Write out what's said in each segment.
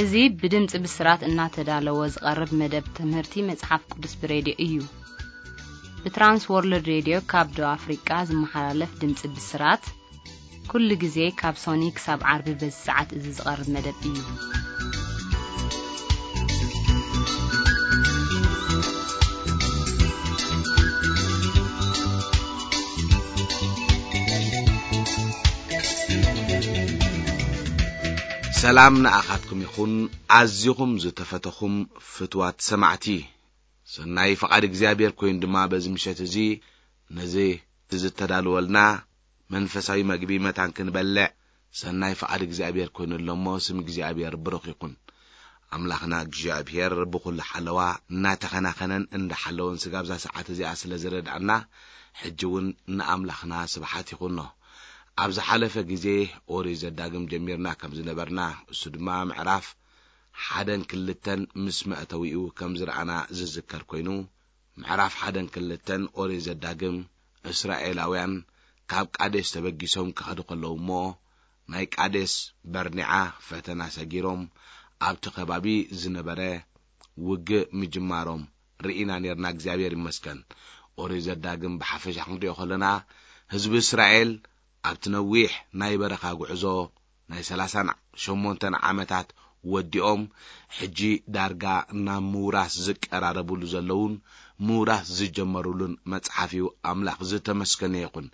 እዚ ብድምፂ ብስራት እናተዳለወ ዝቐርብ መደብ ትምህርቲ መጽሓፍ ቅዱስ ብሬድዮ እዩ። ብትራንስ ወርልድ ሬድዮ ካብ ደቡብ ኣፍሪቃ ዝመሓላለፍ ድምፂ ብስራት፣ ኩሉ ግዜ ካብ ሶኒ ክሳብ ዓርቢ በዚ ሰዓት እዚ ዝቐርብ መደብ እዩ። ሰላም ንኣኻትኩም ይኹን፣ ኣዚኹም ዝተፈተኹም ፍትዋት ሰማዕቲ። ሰናይ ፍቓድ እግዚኣብሔር ኮይኑ ድማ በዚ ምሸት እዚ ነዚ ዝተዳለወልና መንፈሳዊ መግቢ መታን ክንበልዕ ሰናይ ፍቓድ እግዚኣብሔር ኮይኑ ኣሎ እሞ፣ ስም እግዚኣብሔር ብሩኽ ይኹን። ኣምላኽና እግዚኣብሔር ብኹሉ ሓለዋ እናተኸናኸነን እንዳሓለወን ስጋብ እዛ ሰዓት እዚኣ ስለ ዝረድኣና፣ ሕጂ እውን ንኣምላኽና ስብሓት ይኹኖ። ኣብ ዝሓለፈ ግዜ ኦሪት ዘዳግም ጀሚርና ከም ዝነበርና፣ እሱ ድማ ምዕራፍ ሓደን ክልተን ምስ መእተዊኡ ከም ዝረኣና ዝዝከር ኮይኑ፣ ምዕራፍ ሓደን ክልተን ኦሪት ዘዳግም፣ እስራኤላውያን ካብ ቃዴስ ተበጊሶም ክኸዱ ከለዉ እሞ፣ ናይ ቃዴስ በርኒዓ ፈተና ሰጊሮም ኣብቲ ከባቢ ዝነበረ ውግእ ምጅማሮም ርኢና ኔርና። እግዚኣብሔር ይመስገን። ኦሪት ዘዳግም ብሓፈሻ ክንሪኦ ከለና፣ ህዝቢ እስራኤል ኣብቲ ነዊሕ ናይ በረኻ ጉዕዞ ናይ ሰላሳን ሸሞንተን ዓመታት ወዲኦም፣ ሕጂ ዳርጋ ናብ ምውራስ ዝቀራረብሉ ዘለውን ምውራስ ዝጀመሩሉን መጽሓፍ እዩ። ኣምላኽ ዝተመስገነ ይኹን።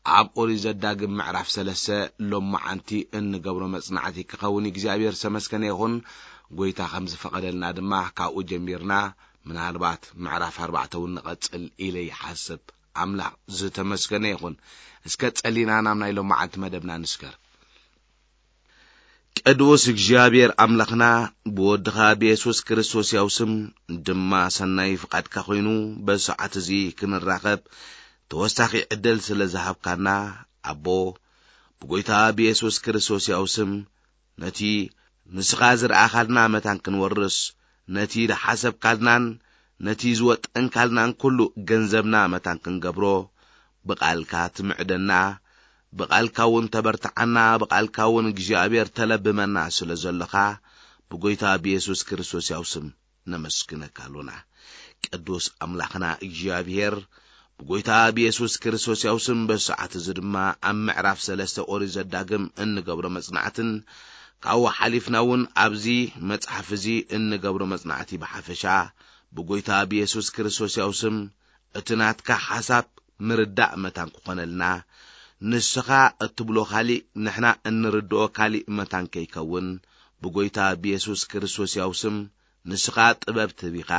ኣብ ኦሪት ዘዳግም ምዕራፍ ሰለስተ ሎማዓንቲ እንገብሮ መጽናዕቲ ክኸውን እግዚኣብሔር ዝተመስገነ ይኹን። ጎይታ ከም ዝፈቐደልና ድማ ካብኡ ጀሚርና ምናልባት ምዕራፍ ኣርባዕተ እውን ንቐጽል ኢለ ይሓስብ። ኣምላኽ ዝተመስገነ ይኹን። እስከ ጸሊና ናብ ናይ ሎማዓንቲ መደብና ንስገር። ቅዱስ እግዚኣብሔር ኣምላኽና፣ ብወድኻ ብየሱስ ክርስቶስ ያው ስም ድማ ሰናይ ፍቓድካ ኮይኑ በዚ ሰዓት እዚ ክንራኸብ ተወሳኺ ዕድል ስለ ዝሃብካና፣ ኣቦ፣ ብጎይታ ብየሱስ ክርስቶስ ያው ስም ነቲ ንስኻ ዝረኣኻልና መታን ክንወርስ፣ ነቲ ዝሓሰብካልናን ነቲ ዝወጠንካልናን ኩሉ ገንዘብና መታን ክንገብሮ፣ ብቓልካ ትምዕደና፣ ብቓልካ እውን ተበርትዓና፣ ብቓልካ እውን እግዚኣብሔር ተለብመና ስለ ዘለኻ፣ ብጎይታ ብየሱስ ክርስቶስ ያው ስም ነመስግነካ ኣሎና። ቅዱስ ኣምላኽና እግዚኣብሔር፣ ብጎይታ ብየሱስ ክርስቶስ ያው ስም በዚ ሰዓት እዚ ድማ ኣብ ምዕራፍ ሰለስተ ኦሪት ዘዳግም እንገብሮ መጽናዕትን ካብኡ ሓሊፍና እውን ኣብዚ መጽሓፍ እዚ እንገብሮ መጽናዕቲ ብሓፈሻ ብጎይታ ብየሱስ ክርስቶስ ያው ስም እቲ ናትካ ሓሳብ ምርዳእ መታን ክኾነልና፣ ንስኻ እትብሎ ካሊእ ንሕና እንርድኦ ካሊእ መታን ከይከውን ብጎይታ ብየሱስ ክርስቶስ ያው ስም ንስኻ ጥበብ ትህብ ኢኻ።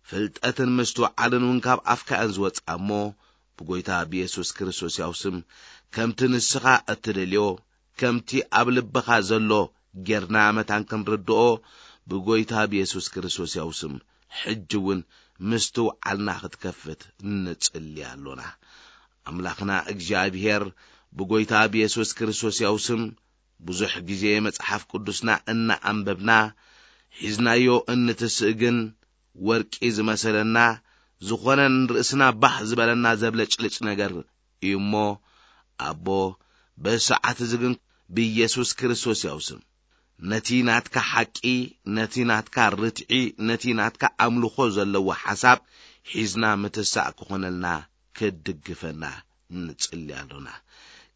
ፍልጠትን ምስትውዓልን እውን ካብ ኣፍካ እየን ዝወጽኣ እሞ፣ ብጎይታ ብየሱስ ክርስቶስ ያው ስም ከምቲ ንስኻ እትደልዮ፣ ከምቲ ኣብ ልብኻ ዘሎ ጌርና መታን ክንርድኦ ብጎይታ ብየሱስ ክርስቶስ ያው ስም ሕጂ እውን ምስትውዓልና ክትከፍት ንጽሊ ኣሎና። ኣምላኽና እግዚኣብሔር ብጎይታ ብየሱስ ክርስቶስ ያው ስም ብዙሕ ግዜ መጽሓፍ ቅዱስና እናኣንበብና ሒዝናዮ እንትስእ ግን ወርቂ ዝመሰለና ዝኾነ ንርእስና ባህ ዝበለና ዘብለጭልጭ ነገር እዩ እሞ፣ ኣቦ፣ በዚ ሰዓት እዚ ግን ብኢየሱስ ክርስቶስ ያው ስም ነቲ ናትካ ሓቂ፣ ነቲ ናትካ ርትዒ፣ ነቲ ናትካ ኣምልኾ ዘለዎ ሓሳብ ሒዝና ምትሳእ ክኾነልና ክትድግፈና ንጽሊ ኣሎና።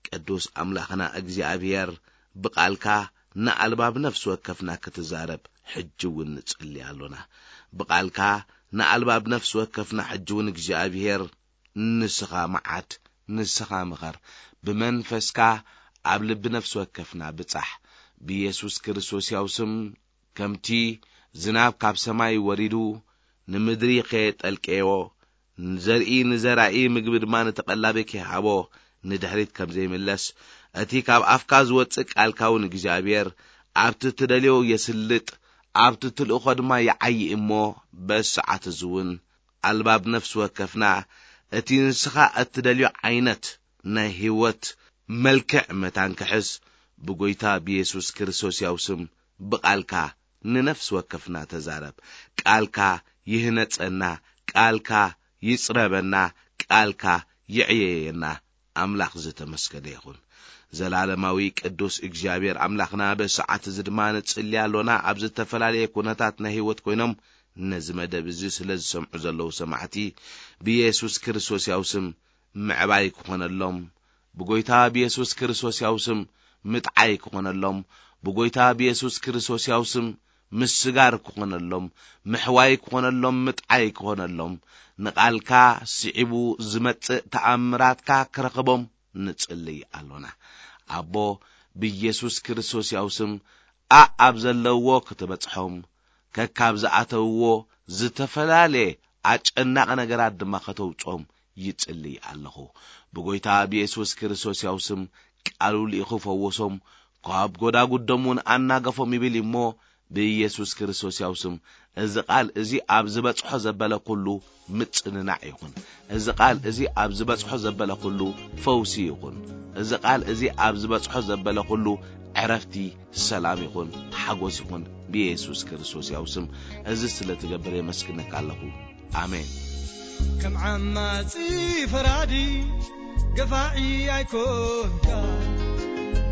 ቅዱስ ኣምላኽና እግዚኣብሔር ብቓልካ ንኣልባብ ነፍሲ ወከፍና ክትዛረብ ሕጂ እውን ንጽሊ ኣሎና። ብቓልካ ንኣልባብ ነፍሲ ወከፍና ሕጂ እውን እግዚኣብሔር ንስኻ መዓት፣ ንስኻ ምኸር፣ ብመንፈስካ ኣብ ልቢ ነፍሲ ወከፍና ብጻሕ። ብኢየሱስ ክርስቶስ ያው ስም ከምቲ ዝናብ ካብ ሰማይ ወሪዱ ንምድሪ ከየጠልቀዮ፣ ንዘርኢ ንዘራኢ ምግቢ ድማ ንተቐላቢ ከይሃቦ ንድሕሪት ከም ዘይምለስ፣ እቲ ካብ ኣፍካ ዝወጽእ ቃልካ እውን እግዚኣብሔር ኣብቲ ትደልዮ የስልጥ፣ ኣብቲ ትልእኾ ድማ ይዓዪ እሞ፣ በዚ ሰዓት እዚ እውን ኣልባብ ነፍሲ ወከፍና እቲ ንስኻ እትደልዮ ዓይነት ናይ ህይወት መልክዕ መታን ክሕዝ ብጎይታ ብየሱስ ክርስቶስ ያው ስም ብቓልካ ንነፍሲ ወከፍና ተዛረብ። ቃልካ ይህነጸና፣ ቃልካ ይጽረበና፣ ቃልካ ይዕየየና። ኣምላኽ ዝተመስገነ ይኹን። ዘላለማዊ ቅዱስ እግዚኣብሔር ኣምላኽና፣ በዚ ሰዓት እዚ ድማ ንጽሊ ኣሎና። ኣብ ዝተፈላለየ ኩነታት ናይ ህይወት ኮይኖም ነዚ መደብ እዚ ስለ ዝሰምዑ ዘለዉ ሰማዕቲ፣ ብየሱስ ክርስቶስ ያው ስም ምዕባይ ክኾነሎም፣ ብጎይታ ብየሱስ ክርስቶስ ያው ስም ምጥዓይ ክኾነሎም፣ ብጎይታ ብየሱስ ክርስቶስ ያው ስም ምስጋር ክኾነሎም፣ ምሕዋይ ክኾነሎም፣ ምጥዓይ ክኾነሎም፣ ንቓልካ ስዒቡ ዝመጽእ ተኣምራትካ ክረኽቦም ንጽልይ ኣሎና። ኣቦ፣ ብየሱስ ክርስቶስ ያው ስም ኣእ ኣብ ዘለውዎ ክትበጽሖም፣ ከካብ ዝኣተውዎ ዝተፈላለየ ኣጨናቒ ነገራት ድማ ከተውጾም ይጽልይ ኣለኹ። ብጎይታ ብየሱስ ክርስቶስ ያው ስም ቃሉ ልኢኹ ፈወሶም፣ ካብ ጎዳጉዶም እውን ኣናገፎም ይብል እሞ፣ ብኢየሱስ ክርስቶስ ያው ስም እዚ ቃል እዚ ኣብ ዝበጽሖ ዘበለ ኩሉ ምጽንናዕ ይኹን። እዚ ቃል እዚ ኣብ ዝበጽሖ ዘበለ ኩሉ ፈውሲ ይኹን። እዚ ቃል እዚ ኣብ ዝበጽሖ ዘበለ ኩሉ ዕረፍቲ፣ ሰላም ይኹን፣ ሓጎስ ይኹን። ብኢየሱስ ክርስቶስ ያው ስም እዚ ስለ ትገብር የመስግነካ ኣለኹ። ኣሜን። ከም ዓማጺ ፈራዲ ገፋዒ ኣይኮንካ፣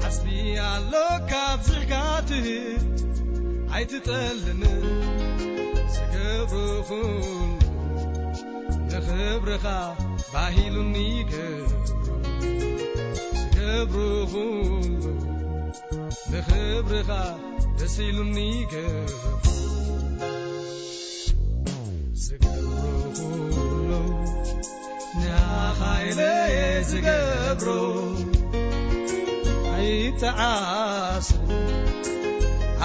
ዓስቢ ኣሎ ካብ ዝሕካ ትህብ ኣይትጠልምን። ዝገብሮ ኩሉ ንኽብርኻ ባሂሉኒ ገብሮ፣ ዝገብሮ ኩሉ ንኽብርኻ ደስ ኢሉኒ ገብሮ። ዝገብሮ ኩሉ ንዓኻ ኢለ እየ ዝገብሮ። ኣይተዓስ፣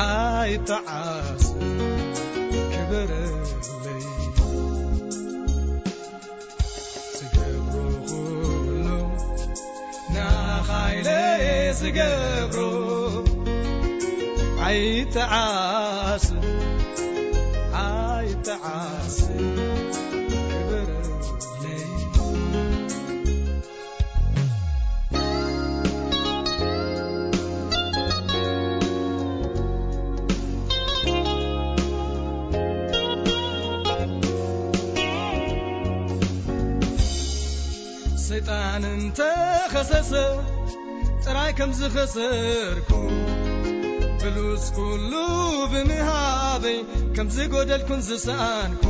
ኣይተዓስ፣ ክበረለይ። ዝገብሮ ኩሉ ንዓኻ ኢለ እየ ዝገብሮ። ኣይተዓስ፣ ኣይተዓስ፣ ክበረለይ። ሰይጣን እንተኸሰሰ ጥራይ ከም ዝኸሰርኩ፣ ብሉጽ ኩሉ ብምሃበይ ከም ዝጎደልኩን ዝሰኣንኩ፣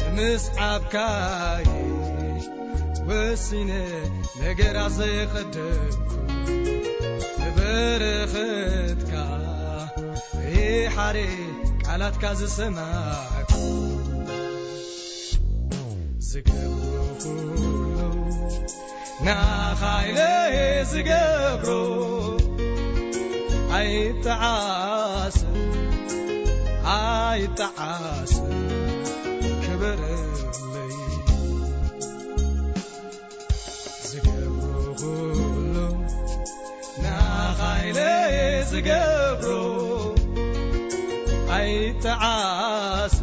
ንምስዓብካይ ወሲነ ነገራት ዘየቐደምኩ፣ ንበረኸትካ ይሓሬ ቃላትካ ዝሰማዕኩ። ዝገብሮ ኩሉ ንዓኻ ኢለ ዝገብሮ። ኣይጠዓስ፣ ኣይጠዓስ፣ ክበረለይ። ዝገብሮ ኩሉ ንዓኻ ኢለ ዝገብሮ። ኣይጠዓስ፣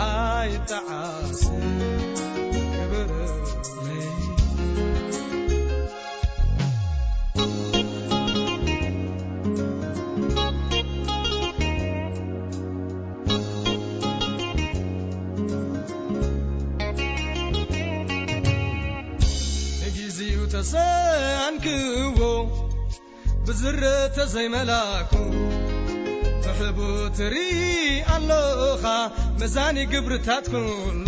ኣይጠዓስ፣ ክበረለይ። ንጊዜኡ ተሰኣንክዎ ብዝረተ ዘይመላኩ፣ ትሕቡ ትርኢ ኣሎኻ መዛኒ ግብርታት ኩሉ።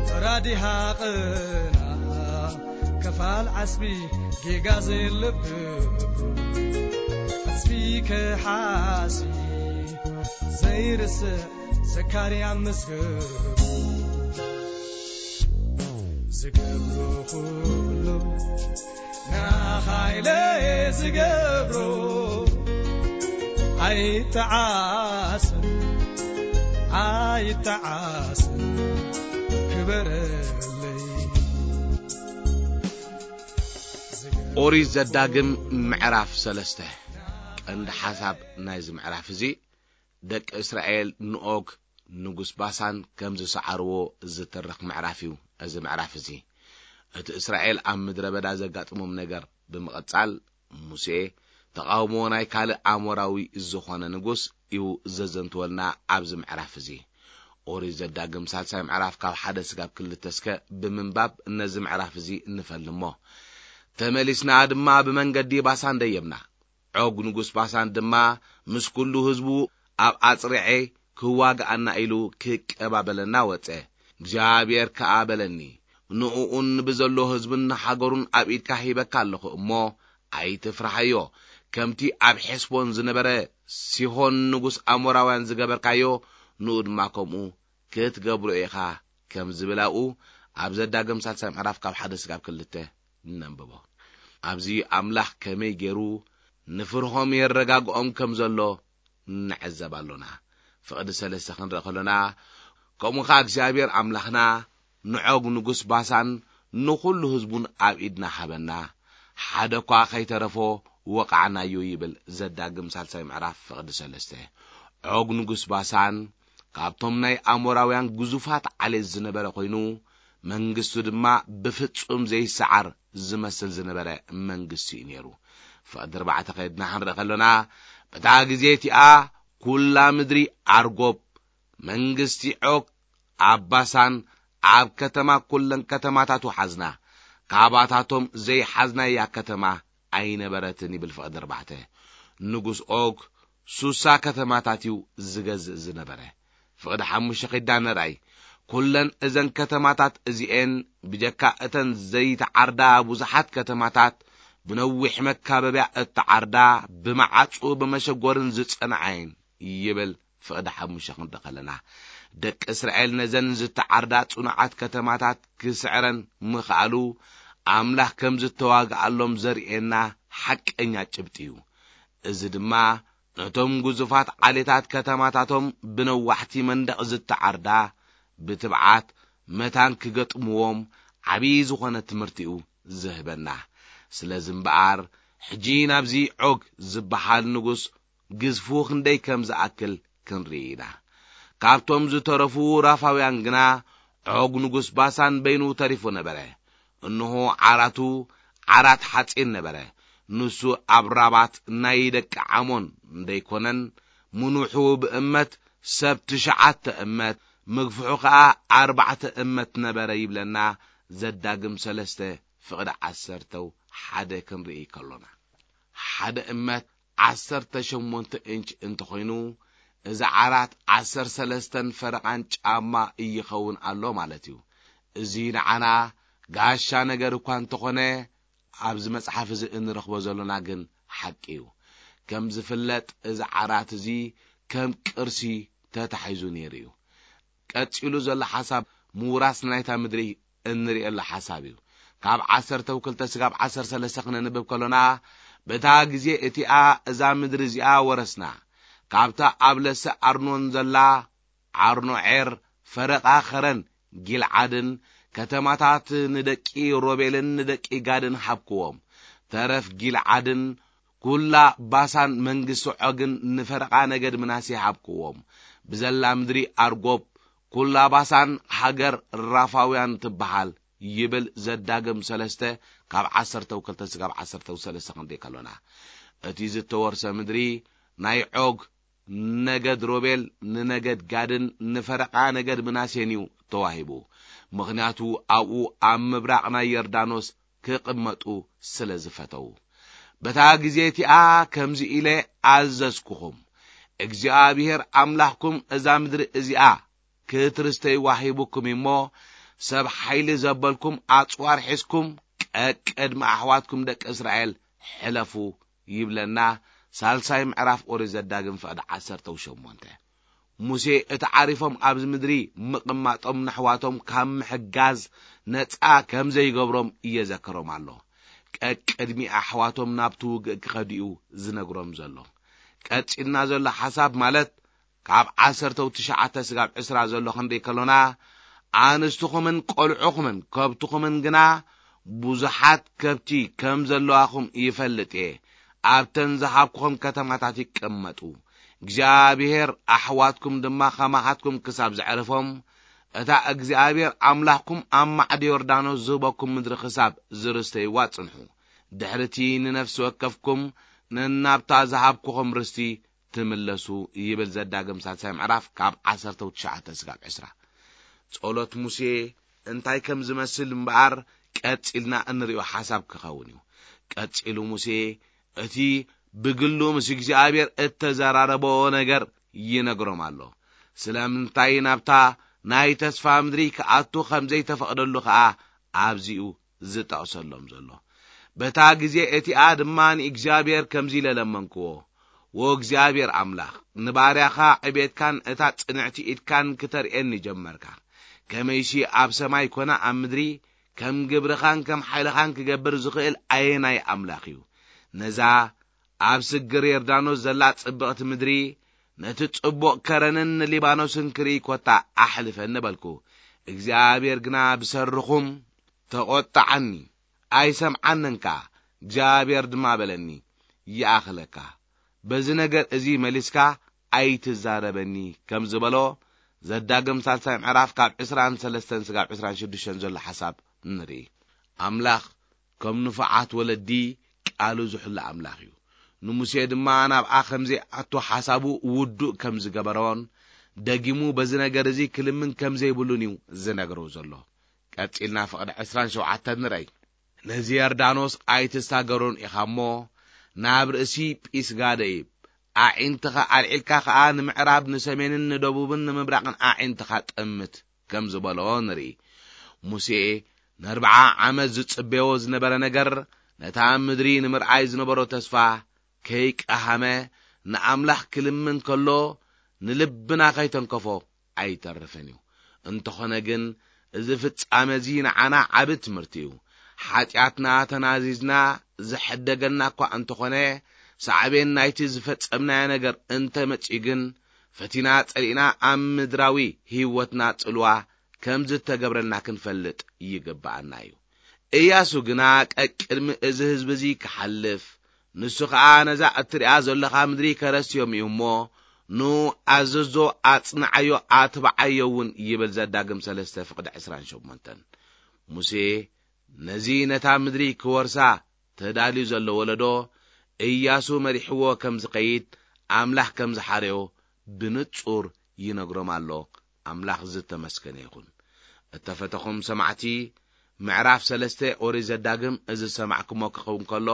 ፈራዲ ሃቕና ከፋል ዓስቢ ጌጋ ዘለብሩ፣ ዓስቢ ከሓሲ ዘይርስዕ ዘካርያ መስገሩ። ዝገብሮ ኩሉ ንዓኻ ኢለ ዝገብሮ። ኣይተዓስ፣ ኣይተዓስ፣ ክበረለይ። ኦሪት ዘዳግም ምዕራፍ ሰለስተ። ቀንዲ ሓሳብ ናይዚ ምዕራፍ እዚ፣ ደቂ እስራኤል ንኦግ ንጉስ ባሳን ከም ዝሰዓርዎ ዝትርኽ ምዕራፍ እዩ እዚ ምዕራፍ እዚ። እቲ እስራኤል ኣብ ምድረ በዳ ዘጋጥሞም ነገር ብምቕጻል፣ ሙሴ ተቓውሞ ናይ ካልእ ኣሞራዊ ዝኾነ ንጉስ እዩ ዘዘንትወልና ኣብዚ ምዕራፍ እዚ። ኦሪት ዘዳግም ሳልሳይ ምዕራፍ ካብ ሓደ ስጋብ ክልተ እስከ ብምንባብ ነዚ ምዕራፍ እዚ እንፈልሞ። ተመሊስና ድማ ብመንገዲ ባሳን ደየብና። ዖግ ንጉስ ባሳን ድማ ምስ ኩሉ ህዝቡ ኣብ ኣጽርዔ ክዋግኣና ኢሉ ክቀባበለና ወጸ። እግዚኣብሔር ከኣ በለኒ፣ ንእኡን ብዘሎ ህዝብን ንሃገሩን ኣብ ኢድካ ሂበካ ኣለኹ እሞ፣ ኣይትፍርሃዮ። ከምቲ ኣብ ሔስቦን ዝነበረ ሲሆን ንጉስ ኣሞራውያን ዝገበርካዮ፣ ንኡ ድማ ከምኡ ክትገብሮ ኢኻ፣ ከም ዝብል ኣብኡ ኣብ ዘዳግም ሳልሳይ ምዕራፍ ካብ ሓደ ስጋብ ክልተ ነንብቦ። ኣብዚ ኣምላኽ ከመይ ገይሩ ንፍርሆም የረጋግኦም ከም ዘሎ ንዕዘብ ኣሎና። ፍቕዲ ሰለስተ ክንርኢ ከሎና፣ ከምኡ ኸዓ እግዚኣብሔር ኣምላኽና ንዖግ ንጉስ ባሳን ንኹሉ ህዝቡን ኣብ ኢድና ሃበና፣ ሓደ እኳ ኸይተረፎ ወቓዕናዮ ይብል ዘዳግም ሳልሳይ ምዕራፍ ፍቕዲ ሰለስተ። ዖግ ንጉስ ባሳን ካብቶም ናይ ኣሞራውያን ግዙፋት ዓሌት ዝነበረ ኮይኑ፣ መንግስቱ ድማ ብፍጹም ዘይሰዓር ዝመስል ዝነበረ መንግስቲ እዩ ነይሩ። ፍቕዲ ኣርባዕተ ኸይድና ክንርኢ ከሎና፣ በታ ግዜ እቲኣ ኩላ ምድሪ ኣርጎብ መንግስቲ ዖግ ኣብ ባሳን ኣብ ከተማ ኩለን ከተማታቱ ሓዝና፣ ካባታቶም ዘይሓዝናያ ከተማ ኣይነበረትን ይብል ፍቕዲ ኣርባዕተ። ንጉስ ዖግ ሱሳ ከተማታት እዩ ዝገዝእ ዝነበረ። ፍቕዲ ሓሙሽተ ኺዳ ንርኣይ። ኩለን እዘን ከተማታት እዚኤን ብጀካ እተን ዘይተዓርዳ ብዙሓት ከተማታት ብነዊሕ መካበብያ እተዓርዳ ብመዓጹ ብመሸጎርን ዝጸንዓየን ይብል ፍቕዲ ሓሙሽተ ክንርኢ ከለና፣ ደቂ እስራኤል ነዘን ዝተዓርዳ ጽኑዓት ከተማታት ክስዕረን ምኽኣሉ፣ ኣምላኽ ከም ዝተዋግኣሎም ዘርእየና ሓቀኛ ጭብጢ እዩ። እዚ ድማ ነቶም ግዙፋት ዓሌታት ከተማታቶም ብነዋሕቲ መንደቕ ዝተዓርዳ ብትብዓት መታን ክገጥምዎም ዓብዪ ዝኾነ ትምህርቲ እዩ ዝህበና። ስለዚ እምበኣር፣ ሕጂ ናብዚ ዖግ ዝበሃል ንጉስ ግዝፉ ክንደይ ከም ዝኣክል ክንርኢ ኢና። ካብቶም ዝተረፉ ራፋውያን ግና፣ ዖግ ንጉስ ባሳን በይኑ ተሪፉ ነበረ። እንሆ፣ ዓራቱ ዓራት ሓጺን ነበረ። ንሱ ኣብ ራባት ናይ ደቂ ዓሞን እንደይኮነን፣ ምኑሑ ብእመት ሰብ ትሽዓተ እመት፣ ምግፍሑ ኸኣ ኣርባዕተ እመት ነበረ ይብለና ዘዳግም ሰለስተ ፍቕዲ ዓሰርተው ሓደ ክንርኢ ከሎና። ሓደ እመት ዓሰርተ ሸሞንተ ኢንች እንተኾይኑ፣ እዚ ዓራት ዓሰርተ ሰለስተን ፈረቓን ጫማ ይኸውን ኣሎ ማለት እዩ። እዚ ንዓና ጋሻ ነገር እኳ እንተኾነ፣ ኣብዚ መጽሓፍ እዚ እንረኽቦ ዘሎና ግን ሓቂ እዩ። ከም ዝፍለጥ፣ እዚ ዓራት እዚ ከም ቅርሲ ተታሒዙ ነይሩ እዩ። ቀጺሉ ዘሎ ሓሳብ ምውራስ ናይታ ምድሪ እንርእየሉ ሓሳብ እዩ። ካብ ዓሰርተው ክልተ ስጋብ ዓሰርተ ሰለስተ ክነንብብ ከሎና፣ በታ ግዜ እቲኣ እዛ ምድሪ እዚኣ ወረስና። ካብታ ኣብ ለሰ ኣርኖን ዘላ ኣርኖዔር፣ ፈረቓ ኸረን ጊልዓድን፣ ከተማታት ንደቂ ሮቤልን ንደቂ ጋድን ሃብክዎም። ተረፍ ጊልዓድን ኩላ ባሳን መንግስቲ ዖግን ንፈረቓ ነገድ ምናሴ ሃብክዎም። ብዘላ ምድሪ ኣርጎብ፣ ኩላ ባሳን ሃገር ራፋውያን ትበሃል ይብል ዘዳግም ሰለስተ ካብ ዓሰርተው ክልተ ስጋብ ዓሰርተው ሰለስተ ክንርኢ ከሎና። እቲ ዝተወርሰ ምድሪ ናይ ዖግ ነገድ ሮቤል ንነገድ ጋድን ንፈረቓ ነገድ ምናሴን እዩ ተዋሂቡ። ምኽንያቱ ኣብኡ ኣብ ምብራቕ ናይ ዮርዳኖስ ክቕመጡ ስለ ዝፈተዉ። በታ ግዜ እቲኣ ከምዚ ኢለ ኣዘዝኩኹም፣ እግዚኣብሄር ኣምላኽኩም እዛ ምድሪ እዚኣ ክትርስተይዋ ሂቡኩም እሞ፣ ሰብ ሓይሊ ዘበልኩም ኣጽዋር ሒዝኩም ቀቅድሚ ኣሕዋትኩም ደቂ እስራኤል ሕለፉ ይብለና። ሳልሳይ ምዕራፍ ኦሪት ዘዳግም ፍቕዲ ዓሰርተው ሸሞንተ። ሙሴ እቲ ዓሪፎም ኣብዚ ምድሪ ምቕማጦም ነሕዋቶም ካብ ምሕጋዝ ነጻ ከም ዘይገብሮም እየዘክሮም ኣሎ። ቀቅድሚ ኣሕዋቶም ናብቲ ውግእ ክኸዱ እዩ ዝነግሮም ዘሎ። ቀጺልና ዘሎ ሓሳብ ማለት ካብ ዓሰርተው ትሽዓተ ስጋብ ዕስራ ዘሎ ክንርኢ ከሎና፣ ኣንስትኹምን ቆልዑኹምን ከብትኹምን ግና ብዙሓት ከብቲ ከም ዘለዋኹም ይፈልጥ እየ። ኣብተን ዝሃብኩኹም ከተማታት ይቀመጡ። እግዚኣብሔር ኣሕዋትኩም ድማ ከማኻትኩም ክሳብ ዘዕርፎም፣ እታ እግዚኣብሔር ኣምላኽኩም ኣብ ማዕዶ ዮርዳኖስ ዝህበኩም ምድሪ ክሳብ ዝርስተይዋ ጽንሑ። ድሕርቲ ንነፍሲ ወከፍኩም ነናብታ ዝሃብኩኹም ርስቲ ትምለሱ ይብል ዘዳግም ሳልሳይ ምዕራፍ ካብ ዓሰርተ ትሽዓተ ስጋብ ዕስራ። ጸሎት ሙሴ እንታይ ከም ዝመስል እምበኣር ቀጺልና እንርእዮ ሓሳብ ክኸውን እዩ። ቀጺሉ ሙሴ እቲ ብግሉ ምስ እግዚኣብሔር እተዘራረቦ ነገር ይነግሮም ኣሎ። ስለምንታይ ናብታ ናይ ተስፋ ምድሪ ክኣቱ ከም ዘይተፈቕደሉ ኸኣ ኣብዚኡ ዝጠቕሰሎም ዘሎ። በታ ግዜ እቲኣ ድማ ንእግዚኣብሔር ከምዚ ኢለ ለመንክዎ፣ "ወ እግዚኣብሔር ኣምላኽ፣ ንባርያኻ ዕቤትካን እታ ጽንዕቲ ኢድካን ክተርእየኒ ጀመርካ። ከመይሲ ኣብ ሰማይ ኮነ ኣብ ምድሪ ከም ግብርኻን ከም ሓይልኻን ክገብር ዝኽእል ኣየናይ ኣምላኽ እዩ? ነዛ ኣብ ስግር ዮርዳኖስ ዘላ ጽብቕቲ ምድሪ፣ ነቲ ጽቡቕ ከረንን ንሊባኖስን ክርኢ ኮታ ኣሕልፈኒ" በልኩ። እግዚኣብሔር ግና ብሰርኹም ተቖጥዓኒ፣ ኣይሰምዓንን ከኣ። እግዚኣብሔር ድማ በለኒ፣ "ይኣኽለካ፣ በዚ ነገር እዚ መሊስካ ኣይትዛረበኒ" ከም ዝበሎ፣ ዘዳግም ሳልሳይ ምዕራፍ ካብ ዕስራን ሰለስተን ስጋብ ዕስራን ሽዱሽተን ዘሎ ሓሳብ ንርኢ። ኣምላኽ ከም ንፉዓት ወለዲ ቃሉ ዝሕሉ ኣምላኽ እዩ። ንሙሴ ድማ ናብኣ ከም ዘይኣቱ ሓሳቡ ውዱእ ከም ዝገበሮን፣ ደጊሙ በዚ ነገር እዚ ክልምን ከም ዘይብሉን እዩ ዝነግሮ ዘሎ። ቀጺልና ፍቕዲ ዕስራን ሸውዓተን ንረይ። "ነዚ ዮርዳኖስ ኣይትሳገሮን ኢኻ እሞ፣ ናብ ርእሲ ጲስጋ ደይብ፣ ኣዒንትኻ ኣልዒልካ ኸኣ ንምዕራብ፣ ንሰሜንን ንደቡብን ንምብራቕን ኣዒንትኻ ጠምት" ከም ዝበሎ ንርኢ። ሙሴ ንኣርብዓ ዓመት ዝጽበዮ ዝነበረ ነገር፣ ነታ ምድሪ ንምርኣይ ዝነበሮ ተስፋ ከይቀሃመ፣ ንኣምላኽ ክልምን ከሎ፣ ንልብና ከይተንከፎ ኣይተርፍን እዩ። እንተኾነ ግን፣ እዚ ፍጻመ እዚ ንዓና ዓቢ ትምህርቲ እዩ። ሓጢኣትና ተናዚዝና ዝሕደገና እኳ እንተኾነ፣ ሳዕቤን ናይቲ ዝፈጸምናዮ ነገር እንተመጺኡ ግን፣ ፈቲና ጸሊእና ኣብ ምድራዊ ህይወትና ጽልዋ ከም ዝተገብረና ክንፈልጥ ይግብኣና እዩ። እያሱ ግና ቀቅድሚ እዚ ህዝቢ እዚ ክሓልፍ፣ ንሱ ኸኣ ነዛ እትሪኣ ዘለኻ ምድሪ ከረስዮም እዩ እሞ፣ ኑ ኣዘዞ፣ ኣጽንዓዮ፣ ኣትብዓዮ እውን ይብል ዘዳግም ሰለስተ ፍቕዲ ዕስራን ሸሞንተን። ሙሴ ነዚ ነታ ምድሪ ክወርሳ ተዳልዩ ዘሎ ወለዶ፣ እያሱ መሪሕዎ ከም ዝኸይድ ኣምላኽ ከም ዝሓረዮ ብንጹር ይነግሮም ኣሎ። ኣምላኽ ዝተመስገነ ይኹን። እተፈተኹም ሰማዕቲ፣ ምዕራፍ ሰለስተ ኦሪት ዘዳግም እዚ ዝሰማዕኩሞ ክኸውን ከሎ፣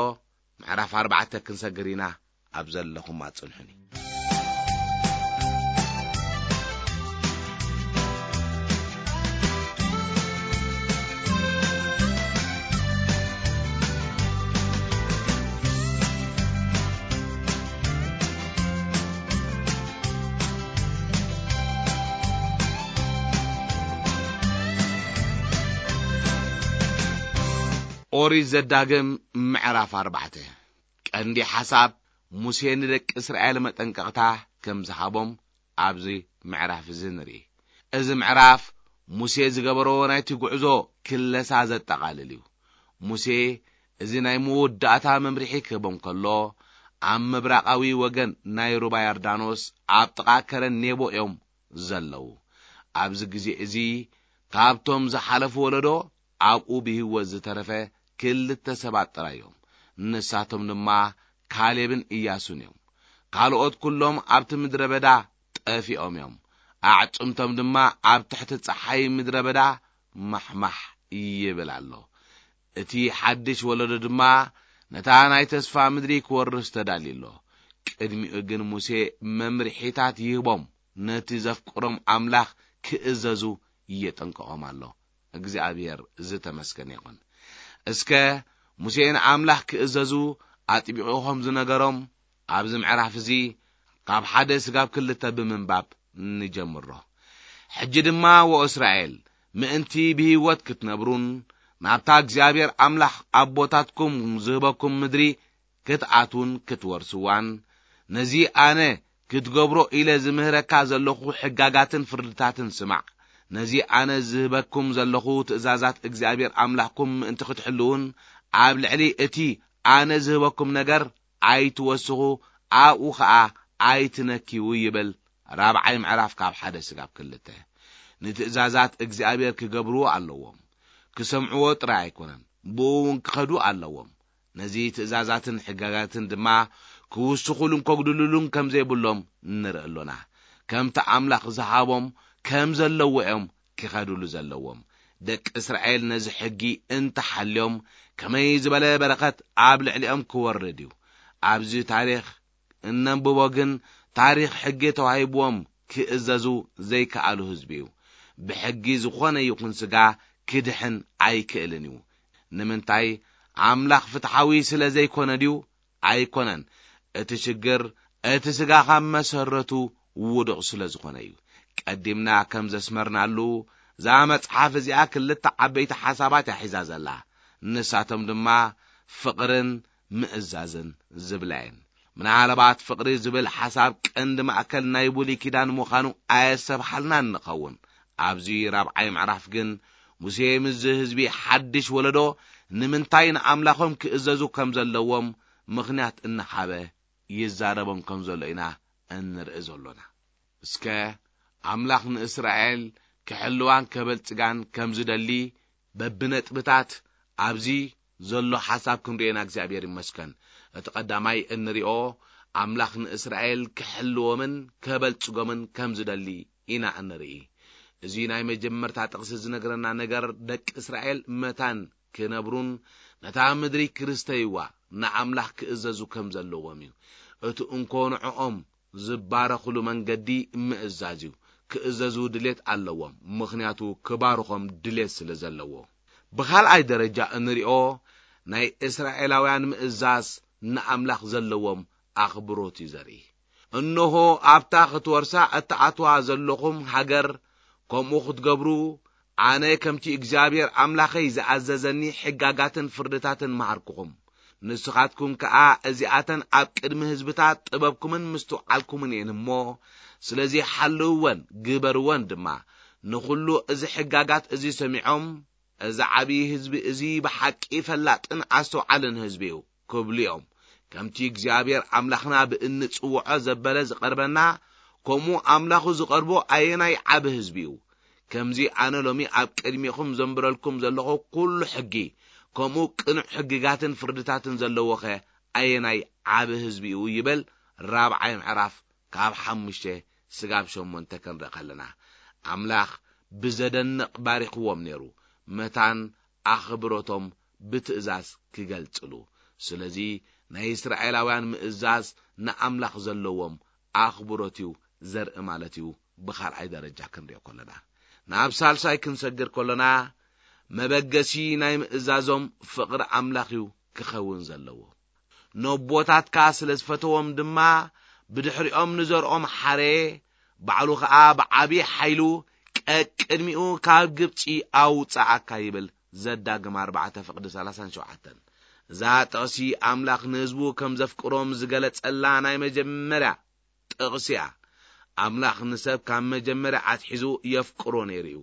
ምዕራፍ ኣርባዕተ ክንሰግር ኢና። ኣብ ዘለኹም ኣጽንሑኒ። ኦሪት ዘዳግም ምዕራፍ ኣርባዕተ። ቀንዲ ሓሳብ፣ ሙሴ ንደቂ እስራኤል መጠንቀቕታ ከም ዝሃቦም ኣብዚ ምዕራፍ እዚ ንርኢ። እዚ ምዕራፍ ሙሴ ዝገበሮ ናይቲ ጉዕዞ ክለሳ ዘጠቓልል እዩ። ሙሴ እዚ ናይ መወዳእታ መምርሒ ክህቦም ከሎ፣ ኣብ ምብራቓዊ ወገን ናይ ሩባ ዮርዳኖስ ኣብ ጥቓ ከረን ኔቦ እዮም ዘለዉ። ኣብዚ ግዜ እዚ ካብቶም ዝሓለፉ ወለዶ ኣብኡ ብህይወት ዝተረፈ ክልተ ሰባት ጥራይ እዮም። ንሳቶም ድማ ካሌብን ኢያሱን እዮም። ካልኦት ኩሎም ኣብቲ ምድረ በዳ ጠፊኦም እዮም። ኣዕጽምቶም ድማ ኣብ ትሕቲ ጸሓይ ምድረ በዳ ማሕማሕ ይብል ኣሎ። እቲ ሓድሽ ወለዶ ድማ ነታ ናይ ተስፋ ምድሪ ክወርስ ተዳልዩ ኣሎ። ቅድሚኡ ግን ሙሴ መምርሒታት ይህቦም፣ ነቲ ዘፍቅሮም ኣምላኽ ክእዘዙ የጠንቅቖም ኣሎ። እግዚኣብሔር ዝተመስገነ ይኹን። እስከ ሙሴ ንኣምላኽ ክእዘዙ ኣጥቢቑ ኸም ዝነገሮም ኣብዚ ምዕራፍ እዚ ካብ ሓደ ስጋብ ክልተ ብምንባብ ንጀምሮ። ሕጂ ድማ ወእስራኤል፣ ምእንቲ ብህይወት ክትነብሩን ናብታ እግዚኣብሔር ኣምላኽ ኣቦታትኩም ዝህበኩም ምድሪ ክትኣትዉን ክትወርስዋን፣ ነዚ ኣነ ክትገብሮ ኢለ ዝምህረካ ዘለኹ ሕጋጋትን ፍርድታትን ስማዕ። ነዚ ኣነ ዝህበኩም ዘለኹ ትእዛዛት እግዚኣብሔር ኣምላኽኩም ምእንቲ ክትሕልዉን ኣብ ልዕሊ እቲ ኣነ ዝህበኩም ነገር ኣይትወስኹ፣ ኣብኡ ኸኣ ኣይትነክዩ ይብል። ራብዓይ ምዕራፍ ካብ ሓደ ስጋብ ክልተ። ንትእዛዛት እግዚኣብሔር ክገብርዎ ኣለዎም። ክሰምዕዎ ጥራይ ኣይኮነን፣ ብኡ እውን ክኸዱ ኣለዎም። ነዚ ትእዛዛትን ሕጋጋትን ድማ ክውስኹሉን ከጉድልሉን ከም ዘይብሎም ንርኢ ኣሎና። ከምቲ ኣምላኽ ዝሃቦም ከም ዘለዎ እዮም ክኸዱሉ ዘለዎም። ደቂ እስራኤል ነዚ ሕጊ እንተሓልዮም፣ ከመይ ዝበለ በረኸት ኣብ ልዕሊኦም ክወርድ እዩ። ኣብዚ ታሪኽ እነንብቦ ግን፣ ታሪኽ ሕጊ ተዋሂብዎም ክእዘዙ ዘይከኣሉ ህዝቢ እዩ። ብሕጊ ዝኾነ ይኹን ስጋ ክድሕን ኣይክእልን እዩ። ንምንታይ? ኣምላኽ ፍትሓዊ ስለ ዘይኮነ ድዩ? ኣይኮነን። እቲ ሽግር፣ እቲ ስጋ ካብ መሰረቱ ውዱቕ ስለ ዝኾነ እዩ። ቀዲምና ከም ዘስመርናሉ፣ እዛ መጽሓፍ እዚኣ ክልተ ዓበይቲ ሓሳባት እያ ሒዛ ዘላ። ንሳቶም ድማ ፍቕርን ምእዛዝን ዝብላ እየን። ምናልባት ፍቕሪ ዝብል ሓሳብ ቀንዲ ማእከል ናይ ብሉይ ኪዳን ምዃኑ ኣየሰብሓልናን ንኸውን። ኣብዚ ራብዓይ ምዕራፍ ግን፣ ሙሴ ምስዚ ህዝቢ ሓድሽ ወለዶ ንምንታይ ንኣምላኾም ክእዘዙ ከም ዘለዎም ምኽንያት እናሃበ ይዛረቦም ከም ዘሎ ኢና እንርኢ ዘሎና። እስከ ኣምላኽ ንእስራኤል ክሕልዋን ከበልጽጋን ከም ዝደሊ በብነጥብታት ኣብዚ ዘሎ ሓሳብ ክንርእየና እግዚኣብሔር ይመስገን። እቲ ቀዳማይ እንሪኦ፣ ኣምላኽ ንእስራኤል ክሕልዎምን ከበልጽጎምን ከም ዝደሊ ኢና እንርኢ። እዚ ናይ መጀመርታ ጥቕሲ ዝነግረና ነገር፣ ደቂ እስራኤል መታን ክነብሩን ነታ ምድሪ ክስተይዋ ንኣምላኽ ክእዘዙ ከም ዘለዎም እዩ። እቲ እንኮ ንዕኦም ዝባረኽሉ መንገዲ ምእዛዝ እዩ። ክእዘዙ ድሌት ኣለዎም፣ ምኽንያቱ ክባርኾም ድሌት ስለ ዘለዎ። ብኻልኣይ ደረጃ እንሪኦ፣ ናይ እስራኤላውያን ምእዛዝ ንኣምላኽ ዘለዎም ኣኽብሮት እዩ ዘርኢ። እንሆ፣ ኣብታ ክትወርሳ እትኣትዋ ዘለኹም ሃገር ከምኡ ክትገብሩ፣ ኣነ ከምቲ እግዚኣብሔር ኣምላኸይ ዝኣዘዘኒ ሕጋጋትን ፍርድታትን መሃርኩኹም። ንስኻትኩም ከኣ እዚኣተን ኣብ ቅድሚ ህዝብታት ጥበብኩምን ምስትውዓልኩምን እየን እሞ፣ ስለዚ ሓልውወን፣ ግበርወን ድማ። ንኹሉ እዚ ሕጋጋት እዚ ሰሚዖም፣ እዚ ዓብዪ ህዝቢ እዚ ብሓቂ ፈላጥን ኣስተውዓልን ህዝቢ እዩ ክብሉ እዮም። ከምቲ እግዚኣብሔር ኣምላኽና ብእንጽውዖ ዘበለ ዝቐርበና፣ ከምኡ ኣምላኹ ዝቐርቦ ኣየናይ ዓቢ ህዝቢ እዩ? ከምዚ ኣነ ሎሚ ኣብ ቅድሚኹም ዘንብረልኩም ዘለኹ ኩሉ ሕጊ፣ ከምኡ ቅኑዕ ሕግጋትን ፍርድታትን ዘለዎኸ ኣየናይ ዓቢ ህዝቢ እዩ? ይብል ራብዓይ ምዕራፍ ካብ ሓሙሽተ ስጋብ ሸሞንተ ክንርኢ ከለና፣ ኣምላኽ ብዘደንቕ ባሪኽዎም ነይሩ፣ መታን ኣኽብሮቶም ብትእዛዝ ክገልጽሉ። ስለዚ ናይ እስራኤላውያን ምእዛዝ ንኣምላኽ ዘለዎም ኣኽብሮት እዩ ዘርኢ ማለት እዩ። ብኻልኣይ ደረጃ ክንሪኦ ከለና፣ ናብ ሳልሳይ ክንሰግር ከለና፣ መበገሲ ናይ ምእዛዞም ፍቕሪ ኣምላኽ እዩ ክኸውን ዘለዎ። ነቦታትካ ስለ ዝፈተዎም ድማ፣ ብድሕሪኦም ንዘርኦም ሓረየ፣ ባዕሉ ኸኣ ብዓብዪ ሓይሉ ቀቅድሚኡ ካብ ግብጺ ኣውጽኣካ ይብል። ዘዳግም ኣርባዕተ ፍቕዲ ሰላሳን ሸውዓተን። እዛ ጥቕሲ ኣምላኽ ንህዝቡ ከም ዘፍቅሮም ዝገለጸላ ናይ መጀመርያ ጥቕሲ እያ። ኣምላኽ ንሰብ ካብ መጀመርያ ኣትሒዙ የፍቅሮ ነይሩ እዩ።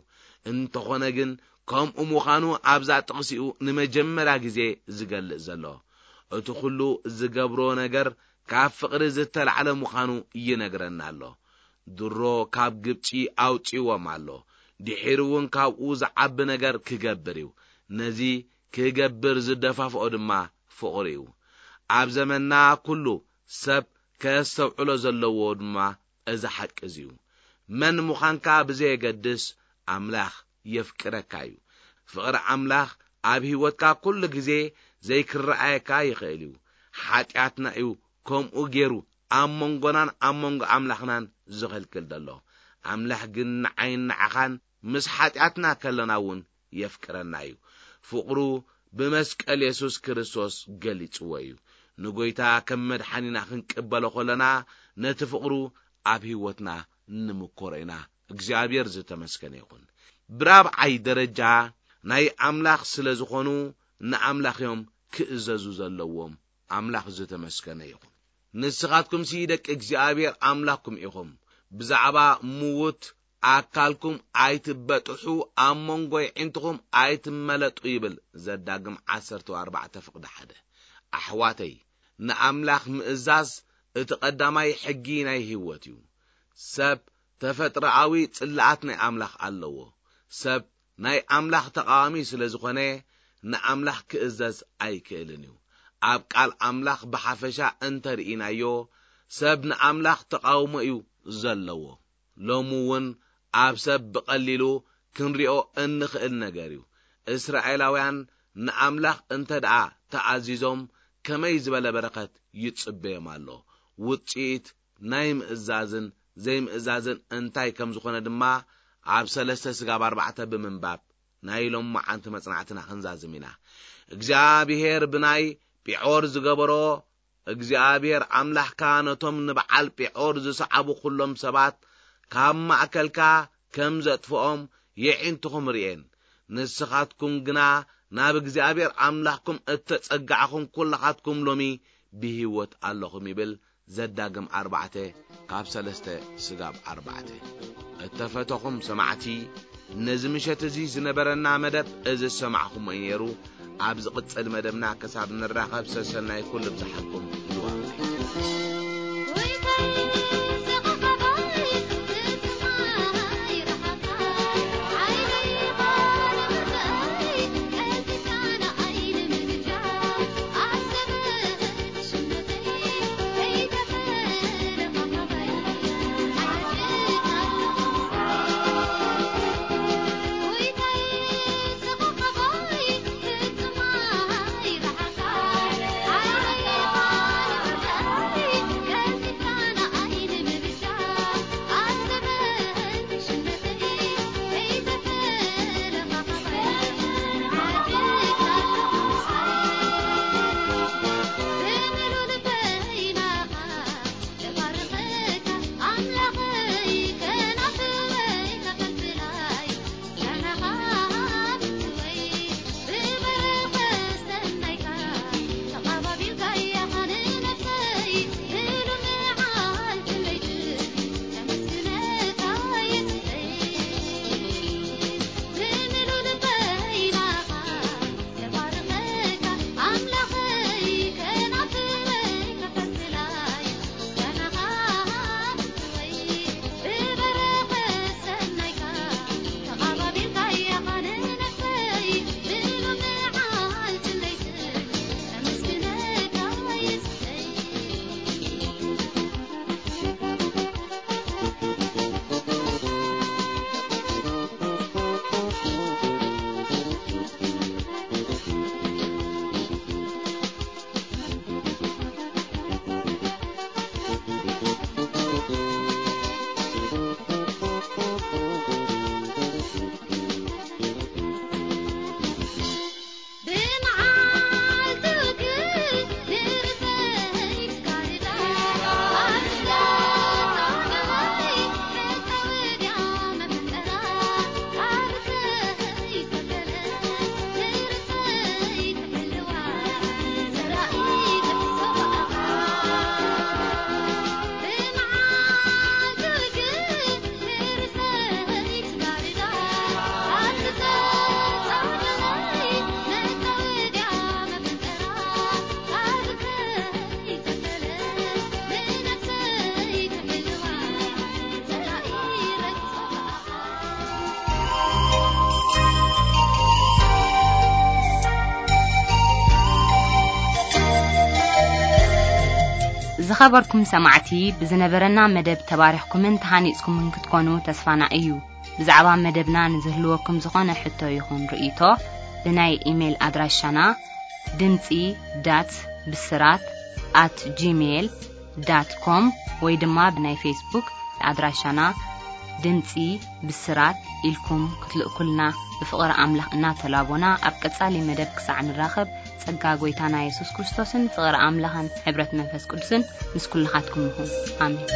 እንተኾነ ግን፣ ከምኡ ምዃኑ ኣብዛ ጥቕሲኡ ንመጀመርያ ግዜ ዝገልጽ ዘሎ። እቲ ኹሉ ዝገብሮ ነገር ካብ ፍቕሪ ዝተላዕለ ምዃኑ ይነግረና ኣሎ። ድሮ ካብ ግብጺ ኣውጺእዎም ኣሎ። ድሒሩ እውን ካብኡ ዝዓቢ ነገር ክገብር እዩ። ነዚ ክገብር ዝደፋፍኦ ድማ ፍቕሪ እዩ። ኣብ ዘመንና ኩሉ ሰብ ከስተውዕሎ ዘለዎ ድማ እዚ ሓቂ እዚ እዩ። መን ምዃንካ ብዘየገድስ፣ ኣምላኽ የፍቅረካ እዩ። ፍቕሪ ኣምላኽ ኣብ ህይወትካ ኩሉ ግዜ ዘይክረኣየካ ይኽእል እዩ። ሓጢኣትና እዩ ከምኡ ገይሩ ኣብ መንጎናን ኣብ መንጎ ኣምላኽናን ዝኽልክል ዘሎ። ኣምላኽ ግን ንዓይን ንዓኻን ምስ ሓጢኣትና ከለና እውን የፍቅረና እዩ። ፍቕሩ ብመስቀል የሱስ ክርስቶስ ገሊጽዎ እዩ። ንጎይታ ከም መድሓኒና ክንቅበሎ ከለና፣ ነቲ ፍቕሩ ኣብ ህይወትና ንምኮሮ ኢና። እግዚኣብሔር ዝተመስገነ ይኹን። ብራብዓይ ደረጃ፣ ናይ ኣምላኽ ስለ ዝኾኑ፣ ንኣምላኽ እዮም ክእዘዙ ዘለዎም። ኣምላኽ ዝተመስገነ ይኹን። ንስኻትኩምሲ ደቂ እግዚኣብሔር ኣምላኽኩም ኢኹም። ብዛዕባ ምዉት ኣካልኩም ኣይትበጥሑ፣ ኣብ መንጎ የዒንትኹም ኣይትመለጡ ይብል ዘዳግም ዓሰርተ ኣርባዕተ ፍቕዲ ሓደ። ኣሕዋተይ፣ ንኣምላኽ ምእዛዝ እቲ ቀዳማይ ሕጊ ናይ ህይወት እዩ። ሰብ ተፈጥሮኣዊ ጽላኣት ናይ ኣምላኽ ኣለዎ። ሰብ ናይ ኣምላኽ ተቓዋሚ ስለ ዝኾነ፣ ንኣምላኽ ክእዘዝ ኣይክእልን እዩ። ኣብ ቃል ኣምላኽ ብሓፈሻ እንተርኢናዮ፣ ሰብ ንኣምላኽ ተቓውሞ እዩ ዘለዎ። ሎሚ እውን ኣብ ሰብ ብቐሊሉ ክንሪኦ እንኽእል ነገር እዩ። እስራኤላውያን ንኣምላኽ እንተ ደኣ ተኣዚዞም፣ ከመይ ዝበለ በረኸት ይጽበዮም ኣሎ? ውጽኢት ናይ ምእዛዝን ዘይምእዛዝን እንታይ ከም ዝኾነ ድማ ኣብ ሰለስተ ስጋብ ኣርባዕተ ብምንባብ ናይ ሎም መዓንቲ መጽናዕትና ክንዛዝም ኢና። እግዚኣብሔር ብናይ ጲዖር ዝገበሮ፣ እግዚኣብሔር ኣምላኽካ ነቶም ንበዓል ጲዖር ዝሰዓቡ ኩሎም ሰባት ካብ ማእከልካ ከም ዘጥፍኦም የዒንትኹም ርእየን። ንስኻትኩም ግና ናብ እግዚኣብሔር ኣምላኽኩም እተጸጋዕኹም ኩልኻትኩም ሎሚ ብህይወት ኣለኹም ይብል። ዘዳግም ኣርባዕተ ካብ ሰለስተ ስጋብ ኣርባዕተ። እተፈተኹም ሰማዕቲ፣ ነዚ ምሸት እዚ ዝነበረና መደብ እዚ ዝሰማዕኹሞ እዩ ነይሩ። ኣብ ዝቕጽል መደብና ክሳብ ንራኸብ ሰሰናይ ኩሉ ብዝሓልኩም ይዋብለይ። ዝኸበርኩም ሰማዕቲ፣ ብዝነበረና መደብ ተባሪኽኩምን ተሃኒጽኩምን ክትኮኑ ተስፋና እዩ። ብዛዕባ መደብና ንዝህልወኩም ዝኾነ ሕቶ ይኹን ርእይቶ፣ ብናይ ኢሜይል ኣድራሻና ድምጺ ዳት ብስራት ኣት ጂሜይል ዳት ኮም ወይ ድማ ብናይ ፌስቡክ ኣድራሻና ድምጺ ብስራት ኢልኩም ክትልእኩልና ብፍቕሪ ኣምላኽ እናተላቦና፣ ኣብ ቀጻሊ መደብ ክሳዕ ንራኸብ፣ ጸጋ ጐይታና የሱስ ክርስቶስን ፍቕሪ ኣምላኽን ሕብረት መንፈስ ቅዱስን ምስ ኩልኻትኩም ይኹን። ኣሜን።